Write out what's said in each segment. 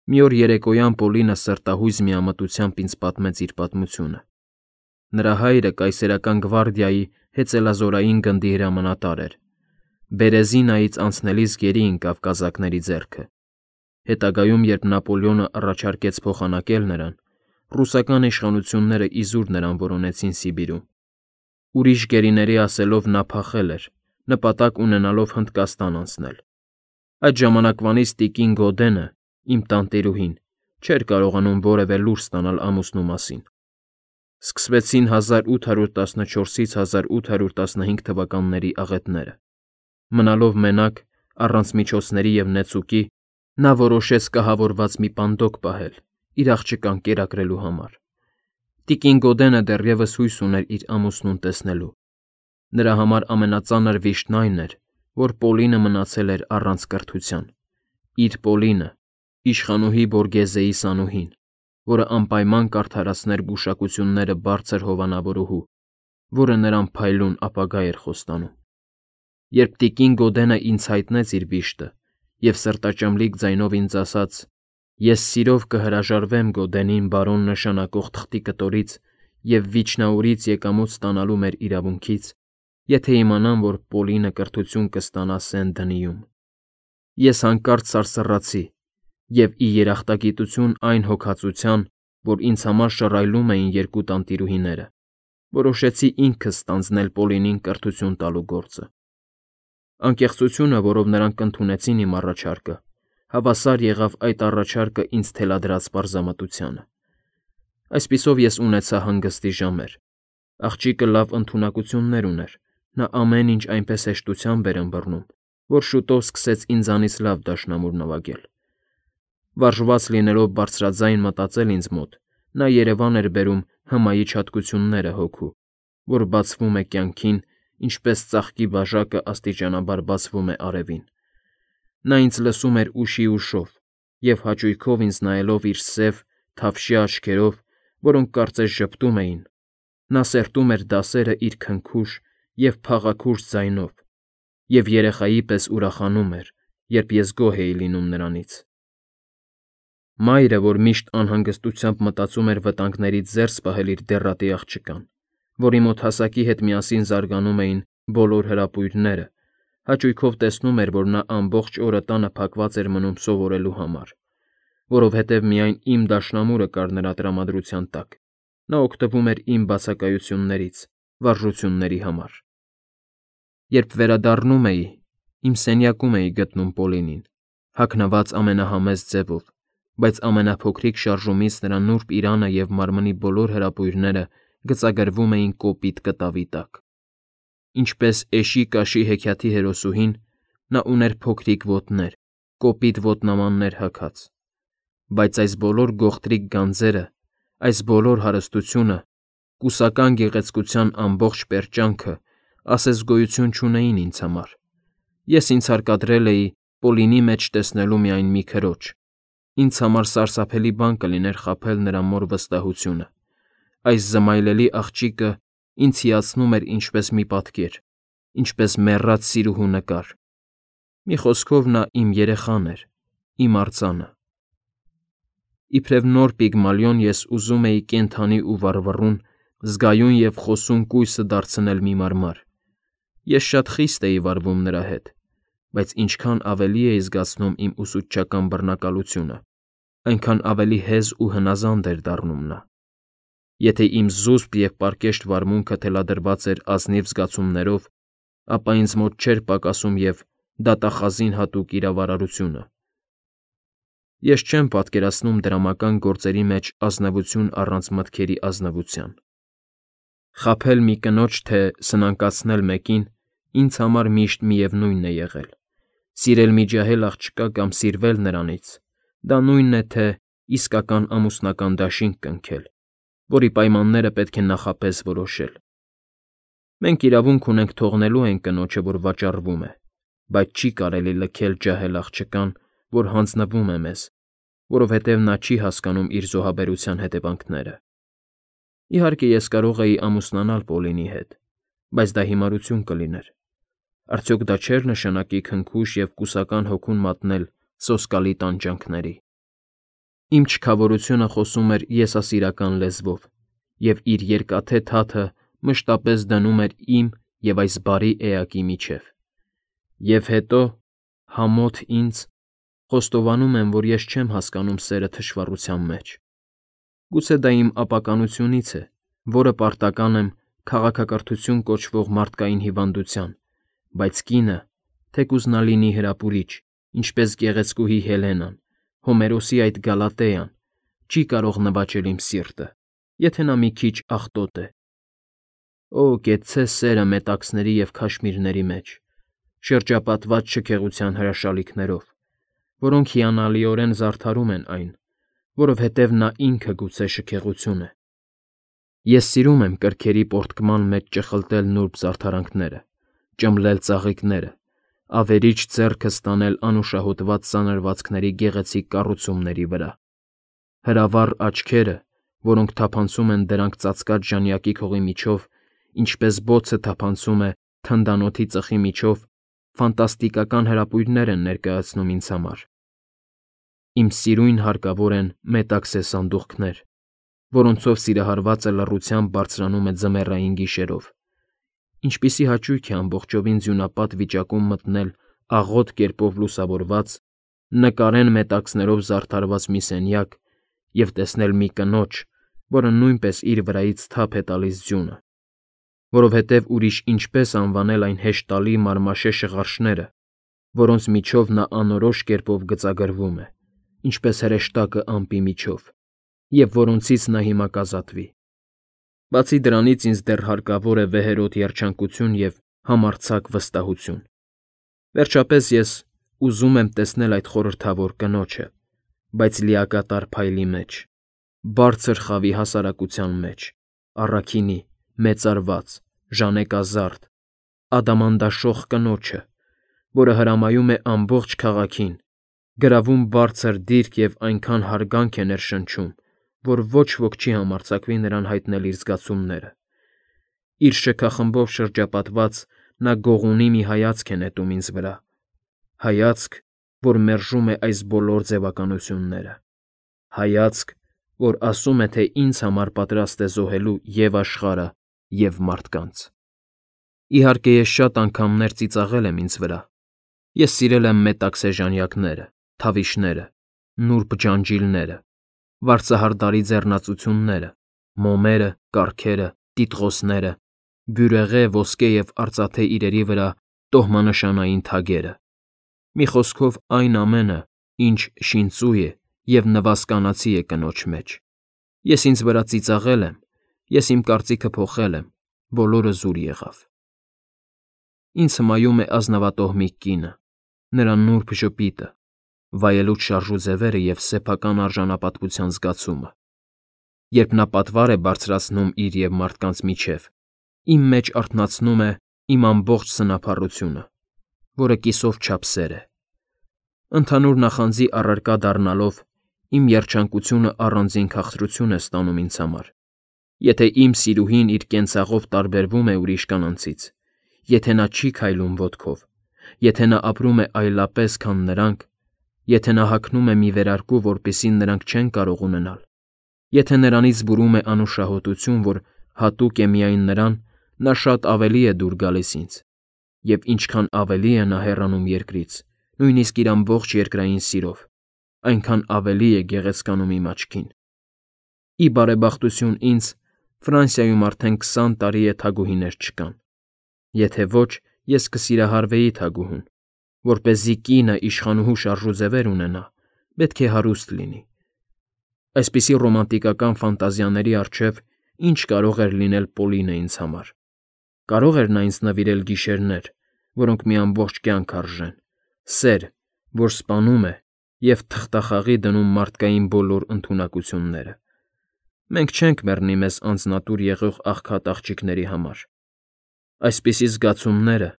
Մի օր երեկոյան Պոլինը սրտահույզ միամտությամբ ինձ պատմեց իր պատմությունը։ Նրա հայրը կայսերական գվարդիայի հեծելազորային գնդի հրամանատար էր։ Բերեզինայից անցնելիս գերի ընկավ կազակների ձեռքը։ Հետագայում, երբ Նապոլեոնը առաջարկեց փոխանակել նրան, ռուսական իշխանությունները իզուր նրան որոնեցին Սիբիրում։ Ուրիշ գերիների ասելով նա փախել էր, նպատակ ունենալով Հնդկաստան անցնել։ Այդ ժամանակվանից տիկին Գոդենը, իմ տանտիրուհին, չէր կարողանում որևէ լուր ստանալ ամուսնու մասին։ Սկսվեցին 1814-ից 1815 թվականների աղետները։ Մնալով մենակ, առանց միջոցների և նեցուկի, նա որոշեց կահավորված մի պանդոկ պահել, իր աղջկան կերակրելու համար։ Տիկին Գոդենը դեռևս հույս ուներ իր ամուսնուն տեսնելու։ Նրա համար ամենածանր վիշտն այն էր, որ Պոլինը մնացել էր առանց կրթության։ Իր Պոլինը, իշխանուհի Բորգեզեի սանուհին, որը անպայման կարդարացներ գուշակությունները բարձր հովանավորուհու, որը նրան փայլուն ապագա էր խոստանում։ Երբ տիկին Գոդենը ինձ հայտնեց իր վիշտը և սրտաճմլիկ ձայնով ինձ ասաց. «Ես սիրով կհրաժարվեմ Գոդենին բարոն նշանակող թղթի կտորից և Վիչնաուրից եկամուտ ստանալու մեր իրավունքից, եթե իմանամ, որ Պոլինը կրթություն կստանա Սեն֊Դնիում»։ Ես հանկարծ սարսռացի և, ի երախտագիտություն այն հոգածության, որ ինձ համար շռայլում էին երկու տանտիրուհիները, որոշեցի ինքս ստանձնել Պոլինին կրթություն տալու գործը։ Անկեղծությունը, որով նրանք ընդունեցին իմ առաջարկը, հավասար եղավ այդ առաջարկը ինձ թելադրած պարզամտությանը։ Այսպիսով ես ունեցա հանգստի ժամեր։ Աղջիկը լավ ընդունակություններ ուներ, նա ամեն ինչ այնպես հեշտությամբ էր ըմբռնում, որ շուտով սկսեց ինձանից լավ դաշնամուր նվագել։ Վարժված լինելով բարձրաձայն մտածել ինձ մոտ, նա երևան էր բերում հմայի չատկությունները հոգու, որ բացվում է կյանքին, ինչպես ծաղկի բաժակը աստիճանաբար բացվում է արևին։ Նա ինձ լսում էր ուշի ուշով և հաճույքով ինձ նայելով իր սև, թավշյա աչքերով, որոնք կարծես ժպտում էին, նա սերտում էր դասերը իր քնքուշ և փաղաքուշ ձայնով և երեխայի պես ուրախանում էր, երբ ես գոհ էի լինում նրանից։ Մայրը, որ միշտ անհանգստությամբ մտածում էր վտանգներից զերծ պահել իր դեռատի աղջկան, որի մոտ հասակի հետ միասին զարգանում էին բոլոր հրապույրները, հաճույքով տեսնում էր, որ նա ամբողջ օրը տանը փակված էր մնում սովորելու համար, որովհետև միայն իմ դաշնամուրը կար նրա տրամադրության տակ, նա օգտվում էր իմ բացակայություններից, վարժությունների համար։ Երբ վերադառնում էի, իմ սենյակում էի գտնում Պոլինին, հագնված ամենահամեստ ձևով, բայց ամենափոքրիկ շարժումից նրա նուրբ իրանը և մարմնի բոլոր հրապույրները գծագրվում էին կոպիտ կտավի տակ։ Ինչպես էշի կաշի հեքիաթի հերոսուհին, նա ուներ փոքրիկ ոտներ, կոպիտ ոտնամաններ հագած։ Բայց այս բոլոր գողտրիկ գանձերը, այս բոլոր հարստությունը, կուսական գեղեցկության ամբողջ պերճանքը ասես գոյություն չունեին ինձ համար։ Ես ինձ հարկադրել էի Պոլինի մեջ տեսնելու միայն մի քրոջ։ Ինձ համար սարսափելի բան կլիներ խաբել նրա մոր վստահությունը։ Այս զմայլելի աղջիկը ինձ հիացնում էր ինչպես մի պատկեր, ինչպես մեռած սիրուհու նկար։ Մի խոսքով նա իմ երեխան էր, իմ արձանը։ Իբրև նոր Պիգմալիոն ես ուզում էի կենդանի ու վառվռուն, զգայուն և խոսուն կույսը դարձնել մի մարմար։ Ես շատ խիստ էի վարվում նրա հետ, բայց ինչքան ավելի էի զգացնում իմ ուսուցչական բռնակալությունը, այնքան ավելի հեզ ու հնազանդ էր դառնում նա։ Եթե իմ զուսպ և պարկեշտ վարմունքը թելադրված էր ազնիվ զգացումներով, ապա ինձ մոտ չէր պակասում և դատախազին հատուկ իրավարարությունը։ Ես չեմ պատկերացնում դրամական գործերի մեջ ազնվություն առանց մտքերի ազնվության։ Խաբել մի կնոջ, թե սնանկացնել մեկին ինձ համար միշտ միևնույնն է եղել։ Սիրել մի ջահել աղջկա կամ սիրվել նրանից, դա նույնն է, թե իսկական ամուսնական դաշինք կնքել, որի պայմանները պետք է նախապես որոշել։ Մենք իրավունք ունենք թողնելու այն կնոջը, որ վաճառվում է, բայց չի կարելի լքել ջահել աղջկան, որ հանձնվում է մեզ, որովհետև նա չի հասկանում իր զոհաբերության հետևանքները։ Իհարկե, ես կարող էի ամուսնանալ Պոլինի հետ, բայց դա հիմարություն կլիներ։ Արդյոք դա չէր նշանակի քնքուշ և կուսական հոգուն մատնել սոսկալի տանջանքների։ Իմ չքավորությունը խոսում էր եսասիրական լեզվով, և իր երկաթե թաթը մշտապես դնում էր իմ և այս բարի էակի միջև։ Եվ հետո, համոթ ինձ, խոստովանում եմ, որ ես չեմ հասկանում սերը թշվառության մեջ։ Գուցե դա իմ ապականությունից է, որը պարտական եմ քաղաքակրթություն կոչվող մարդկային հիվանդության, բայց կինը, թեկուզ նա լինի հրապուրիչ, ինչպես գեղեցկուհի Հելենան, Հոմերոսի այդ Գալատեան, չի կարող նվաճել իմ սիրտը, եթե նա մի քիչ աղտոտ է։ Օ, կեցցե սերը մետաքսների և քաշմիրների մեջ, շրջապատված շքեղության հրաշալիքներով, որոնք հիանալիորեն զարդարում են այն, որովհետև նա ինքը գուցե շքեղություն է։ Ես սիրում եմ կրքերի պոռթկման մեջ ճխլտել նուրբ զարդարանքները, ճմլել ծաղիկները, ավերիչ ձեռքը ստանել անուշահոտված սանրվածքների գեղեցիկ կառուցումների վրա։ Հրավառ աչքերը, որոնք թափանցում են դրանք ծածկած ժանյակի քողի միջով, ինչպես բոցը թափանցում է թնդանոթի ծխի միջով, ֆանտաստիկական հրապույրներ են ներկայացնում ինձ համար։ Իմ սիրուն հարկավոր են մետաքսե սանդուղքներ, որոնցով սիրահարվածը լռությամբ բարձրանում է ձմեռային գիշերով։ Ինչպիսի հաճույք է ամբողջովին ձյունապատ վիճակում մտնել աղոտ կերպով լուսավորված, նկարեն մետաքսներով զարդարված մի սենյակ և տեսնել մի կնոջ, որը նույնպես իր վրայից թափ է տալիս ձյունը, որովհետև ուրիշ ինչպես անվանել այն հեշտալի մարմաշե շղարշները, որոնց միջով նա անորոշ կերպով գծագրվում է, ինչպես հրեշտակը ամպի միջով, և որոնցից նա հիմա կազատվի։ Բացի դրանից ինձ դեռ հարկավոր է վեհերոտ երջանկություն և համարձակ վստահություն։ Վերջապես ես ուզում եմ տեսնել այդ խորհրդավոր կնոջը, բայց լիակատար փայլի մեջ, բարձր խավի հասարակության մեջ, առաքինի, մեծարված, ժանեկազարդ, ադամանդաշող կնոջը, որը հրամայում է ամբողջ քաղաքին, գրավում բարձր դիրք և այնքան հարգանք է ներշնչում, որ ոչ ոք չի համարձակվի նրան հայտնել իր զգացումները։ Իր շքախմբով շրջապատված նա գողունի մի հայացք է նետում ինձ վրա, հայացք, որ մերժում է այս բոլոր ձևականությունները, հայացք, որ ասում է, թե ինձ համար պատրաստ է զոհելու և աշխարհը, և մարդկանց։ Իհարկե, ես շատ անգամներ ծիծաղել եմ ինձ վրա։ Ես սիրել եմ մետաքսե ժանյակները, թավիշները, նուրբ ջանջիլները, վարձահարդարի ձեռնածությունները, մոմերը, կառքերը, տիտղոսները, բյուրեղե, ոսկե և արծաթե իրերի վրա տոհմանշանային թագերը։ Մի խոսքով, այն ամենը, ինչ շինծու է և նվազկանացի է կնոջ մեջ։ Ես ինձ վրա ծիծաղել եմ, ես իմ կարծիքը փոխել եմ, բոլորը զուր եղավ։ Ինձ հմայում է ազնվատոհմիկ կինը, նրա նուրբ ժպիտը, վայելուչ շարժու ձևերը և սեփական արժանապատվության զգացումը։ Երբ նա պատվար է բարձրացնում իր և մարդկանց միջև, իմ մեջ արթնացնում է իմ ամբողջ սնափառությունը, որը կիսով չափ սեր է։ Ընդհանուր նախանձի առարկա դառնալով, իմ երջանկությունը առանձին քաղցրություն է ստանում ինձ համար։ Եթե իմ սիրուհին իր կենցաղով տարբերվում է ուրիշ կանանցից, եթե նա չի քայլում ոտքով, եթե նա ապրում է այլապես, քան նրանք, եթե նա հագնում է մի վերարկու, որպեսզի նրանք չեն կարող ունենալ, եթե նրանից բուրում է անուշահոտություն, որ հատուկ է միայն նրան, նա շատ ավելի է դուր գալիս ինձ, և ինչքան ավելի է նա հեռանում երկրից, նույնիսկ իր ամբողջ երկրային սիրով, այնքան ավելի է գեղեցկանում իմ աչքին։ Ի բարեբախտություն ինձ, Ֆրանսիայում արդեն 20 տարի է թագուհիներ չկան։ Եթե ոչ, ես կսիրահարվեի թագուհուն, որպեսզի կինը իշխանուհու շարժուձևեր ունենա, պետք է հարուստ լինի։ Այսպիսի ռոմանտիկական ֆանտազիաների առջև ինչ կարող էր լինել Պոլինը ինձ համար։ Կարող էր նա ինձ նվիրել գիշերներ, որոնք մի ամբողջ կյանք արժեն, սեր, որ սպանում է և թղթախաղի դնում մարդկային բոլոր ընդունակությունները։ Մենք չենք մեռնի մեզ անձնատուր եղող աղքատ աղջիկների համար։ Այսպիսի զգացումները,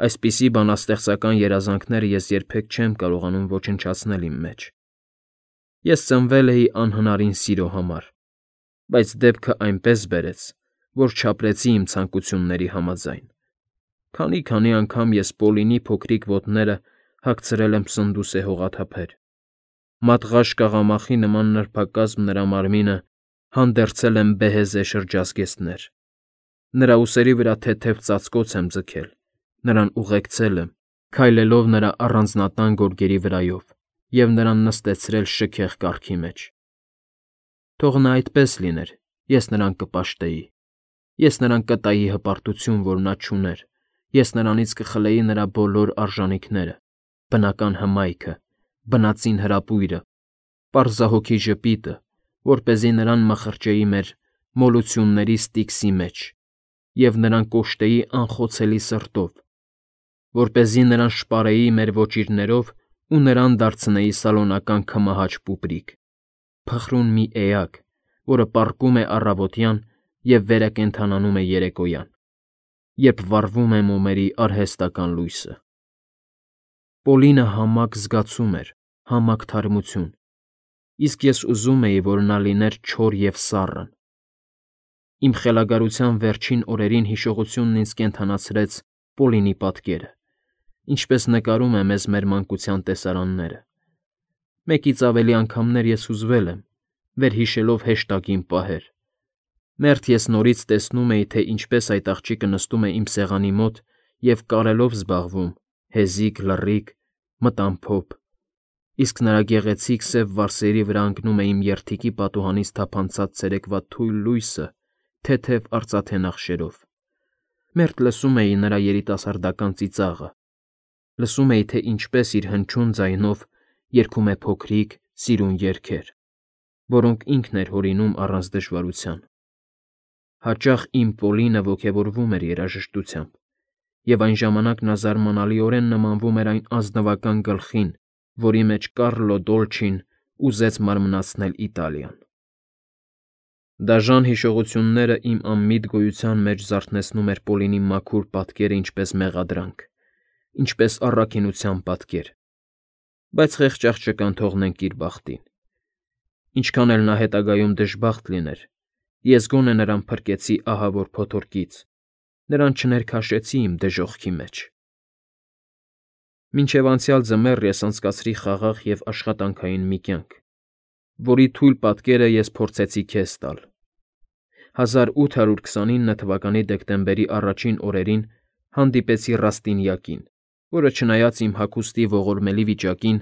այսպիսի բանաստեղծական երազանքները ես երբեք չեմ կարողանում ոչնչացնել իմ մեջ։ Ես ծնվել էի անհնարին սիրո համար, բայց դեպքը այնպես բերեց, որ չապրեցի իմ ցանկությունների համաձայն։ Քանի անգամ ես Պոլինի փոքրիկ ոտները հագցրել եմ սնդուս է հողաթափեր, Մատղաշ կաղամախի նման նրբակազմ նրա մարմինը հանդերձել եմ բեհեզե շրջազգեստներ։ Նրա ուսերի վրա թեթև ծածկոց եմ ձգել, նրան ուղեկցել եմ, քայլելով նրա առանձնատան գորգերի վրայով և նրան նստեցրել շքեղ կառքի մեջ։ Թող նա այդպես լիներ, ես նրան կպաշտեի, ես նրան կտայի հպարտություն, որ նա չուներ, ես նրանից կխլեի նրա բոլոր արժանիքները, բնական հմայքը, բնածին հրապույրը, պարզահոգի ժպիտը, որպեսզի նրան մխրճեի մեր մոլությունների ստիքսի մեջ և նրան կոշտեի անխոցելի սրտով, որպեսզի նրան շպարեի մեր ոճիրներով ու նրան դարձնեի սալոնական քմահաճ պուպրիկ, փխրուն մի էակ, որը պառկում է առավոտյան և վերակենդանանում է երեկոյան, երբ վառվում է մոմերի արհեստական լույսը։ Պոլինը համակ զգացում էր, համակ թարմություն, իսկ ես ուզում էի, որ նա լիներ չոր և սառն։ Իմ խելագարության վերջին օրերին հիշողությունն ինձ կենդանացրեց Պոլինի պատկերը, ինչպես նկարում է մեզ մեր մանկության տեսարանները։ Մեկից ավելի անգամներ ես հուզվել եմ, վերհիշելով հեշտագին պահեր։ Մերթ ես նորից տեսնում էի, թե ինչպես այդ աղջիկը նստում է իմ սեղանի մոտ և կարելով զբաղվում, հեզիկ, լռիկ, մտամփոփ, իսկ նրա գեղեցիկ սև վարսերի վրա ընկնում է իմ երդիկի պատուհանից թափանցած ցերեկվա թույլ լույսը թեթև արծաթե նախշերով։ Մերթ լսում էի նրա երիտասարդական ծիծաղը, լսում էի, թե ինչպես իր հնչյուն ձայնով երգում է փոքրիկ, սիրուն երգեր, որոնք ինքն էր հորինում առանց դժվարության։ Հաճախ իմ Պոլինը ոգևորվում էր երաժշտությամբ, և այն ժամանակ նա զարմանալիորեն նմանվում էր այն ազնվական գլխին, որի մեջ Կառլո Դոլչին ուզեց մարմնացնել Իտալիան։ Դաժան հիշողությունները իմ անմիտ գոյության մեջ զարթնեցնում էր Պոլինի մաքուր պատկերը ինչպես մեղադրանք, ինչպես առաքինության պատկեր, բայց խեղճ աղջկան թողնենք իր բախտին։ Ինչքան էլ նա հետագայում դժբախտ լիներ, ես գոնե նրան փրկեցի ահավոր փոթորկից, նրան չներքաշեցի իմ դժոխքի մեջ։ Մինչև անցյալ ձմեռ ես անցկացրի խաղաղ և աշխատանքային մի կյանք, որի թույլ պատկերը ես փորձեցի քեզ տալ։ 1829 թվականի դեկտեմբերի առաջին օրերին հանդիպեցի Ռաստինյակին, որը չնայած իմ հագուստի ողորմելի վիճակին,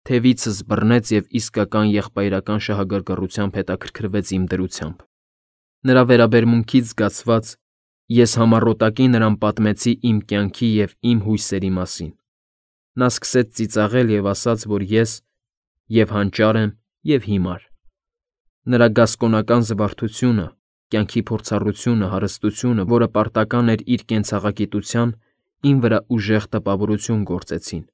թևիցս բռնեց և իսկական եղբայրական շահագրգռությամբ հետաքրքրվեց իմ դրությամբ։ Նրա վերաբերմունքից զգացված՝ ես համառոտակի նրան պատմեցի իմ կյանքի և իմ հույսերի մասին։ Նա սկսեց ծիծաղել և ասաց, որ ես և՛ հանճար եմ, և՛ հիմար։ Նրա գասկոնական զվարթությունը, կյանքի փորձառությունը, հարստությունը, որը պարտական էր իր կենցաղագիտության, իմ վրա ուժեղ տպավորություն գործեցին։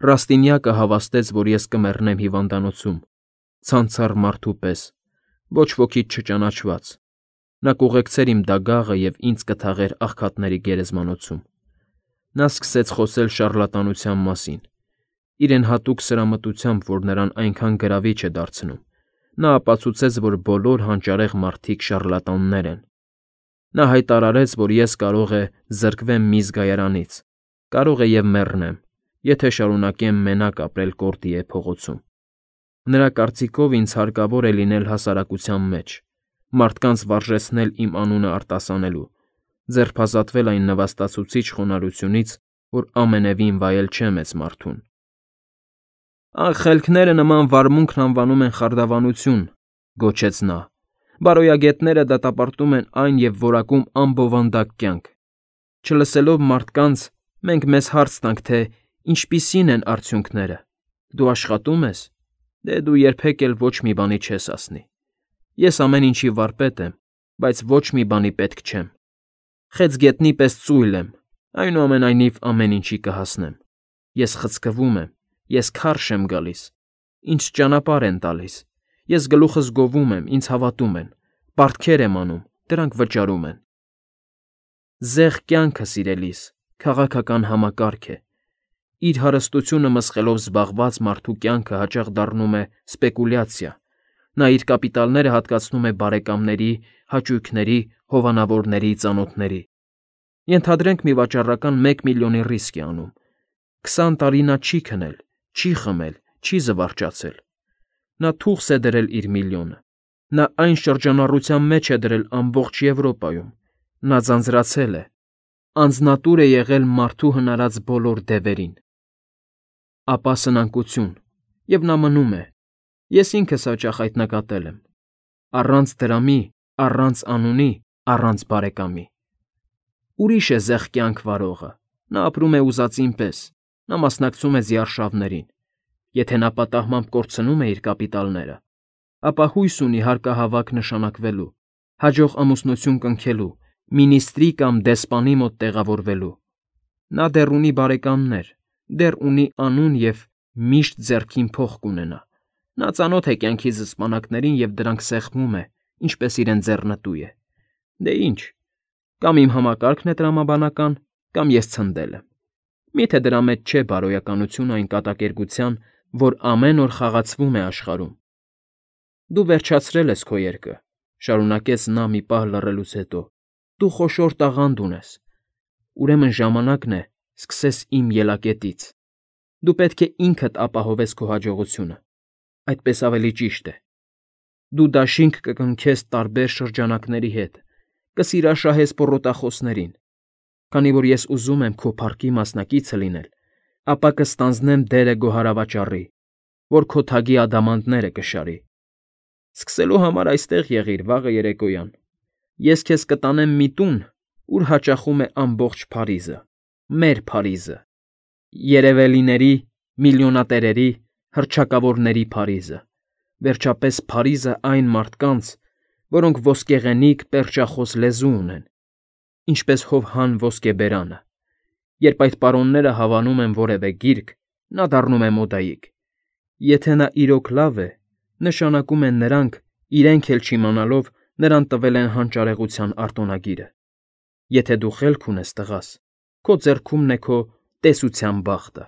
Ռաստինյակը հավաստեց, որ ես կմեռնեմ հիվանդանոցում, ցանցառ մարդու պես, ոչ ոքից չճանաչված։ Նա կուղեկցեր իմ դագաղը և ինձ կթաղեր աղքատների գերեզմանոցում։ Նա սկսեց խոսել շառլատանության մասին, իրեն հատուկ սրամտությամբ, որ նրան այնքան գրավիչ է դարձնում։ Նա ապացուցեց, որ բոլոր հանճարեղ մարդիկ շառլատաններ են։ Նա հայտարարեց, որ ես կարող է զրկվեմ մի զգայարանից, կարող է և մեռնեմ, եթե շարունակեմ մենակ ապրել Կորտիե փողոցում։ Նրա կարծիքով ինձ հարկավոր է լինել հասարակության մեջ, մարդկանց վարժեցնել իմ անունը արտասանելու, ձերբազատվել այն նվաստացուցիչ խոնարհությունից, որ ամենևին վայել չէ մեծ մարդուն։ «Ախելքները նման վարմունքն անվանում են խարդավանություն», գոչեց նա։ «Բարոյագետները դատապարտում են այն և որակում անբովանդակ կյանք։ Չլսելով մարդկանց՝ մենք մեզ հարց տանք, թե ինչպիսի՞ն են արդյունքները։ Դու աշխատո՞ւմ ես։ Դե դու երբեք էլ ոչ մի բանի չես հասնի։ Ես ամեն ինչի վարպետ եմ, բայց ոչ մի բանի պետք չեմ։ Խեցգետնի պես ծույլ եմ, այնուամենայնիվ ամեն ինչի կհասնեմ։ Ես խցկվում եմ, ես քարշ եմ գալիս, ինձ ճանապարհ են տալիս, ես գլուխս գովում եմ, ինձ հավատում են, պարտքեր եմ անում, դրանք վճարում են։ Զեղ կյանքը, սիրելիս, քաղաքական համակարգ է։ Իր հարստությունը մսխելով զբաղված մարդու կյանքը հաճախ դառնում է սպեկուլյացիա։ Նա իր կապիտալները հատկացնում է բարեկամների, հաճույքների, հովանավորների, ծանոթների։ Ենթադրենք մի վաճառական 1 միլիոնի ռիսկ է անում։ 20 տարի նա չի քնել, չի խմել, չի զվարճացել։ Նա թուղս է դրել իր միլիոնը։ Նա այն շրջանառության մեջ է դրել ամբողջ Եվրոպայում։ Նա ձանձրացել է, անձնատուր է եղել մարդու հնարած բոլոր դևերին։ Ապա սնանկություն, և նա մնում է։ Ես ինքս հաճախ այդ նկատել եմ։ Առանց դրամի, առանց անունի, առանց բարեկամի։ Ուրիշ է զեղ կյանք վարողը։ Նա ապրում է ուզածին պես, նա մասնակցում է ձիարշավներին։ Եթե նա պատահմամբ կորցնում է իր կապիտալները, ապա հույս ունի հարկահավաք նշանակվելու, հաջող ամուսնություն կնքելու, մինիստրի կամ դեսպանի մոտ տեղավորվելու։ Նա դեռ ունի բարեկամներ, դեռ ունի անուն և միշտ ձեռքին փող կունենա։ Նա ծանոթ է կյանքի զսպանակներին և դրանք սեղմում է, ինչպես իրեն ձեռնտու է։ Դե ինչ, կամ իմ համակարգն է տրամաբանական, կամ ես ցնդել եմ։ Միթե դրա մեջ չէ բարոյականությունը այն կատակերգության, որ ամեն օր խաղացվում է աշխարհում։ Դու վերջացրել ես քո երգը, շարունակեց նա մի պահ լռելուց հետո։ Դու խոշոր տաղանդ ունես։ Ուրեմն ժամանակն է սկսես իմ ելակետից։ Դու պետք է ինքդ ապահովես քո հաջողությունը։ Այդպես ավելի ճիշտ է։ Դու դաշինք կկնքես տարբեր շրջանակների հետ, կսիրաշահես պոռոտախոսներին։ Քանի որ ես ուզում եմ քո փառքի մասնակիցը լինել, ապա կստանձնեմ դերը գոհարավաճառի, որ քո թագի ադամանդները կշարի։ Սկսելու համար այստեղ եղիր վաղը երեկոյան։ Ես քեզ կտանեմ մի տուն, ուր հաճախում է ամբողջ Փարիզը, մեր Փարիզը, երևելիների, միլիոնատերերի, հռչակավորների Փարիզը, վերջապես Փարիզը այն մարդկանց, որոնք ոսկեղենիկ, պերճախոս լեզու ունեն, ինչպես Հովհան ոսկեբերանը։ Երբ այդ պարոնները հավանում են որևէ գիրք, նա դառնում է մոդայիկ։ Եթե նա իրոք լավ է, նշանակում է նրանք, իրենք էլ չիմանալով, նրան տվել են հանճարեղության արտոնագիրը։ Եթե դու խելք ունես, տղաս, քո ձեռքումն է քո տեսության բախտը։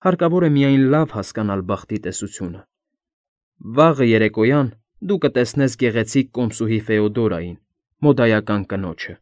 Հարկավոր է միայն լավ հասկանալ բախտի տեսությունը։ Վաղը երեկոյան դու կտեսնես գեղեցիկ կոմսուհի Ֆեոդորային, մոդայական կնոջը։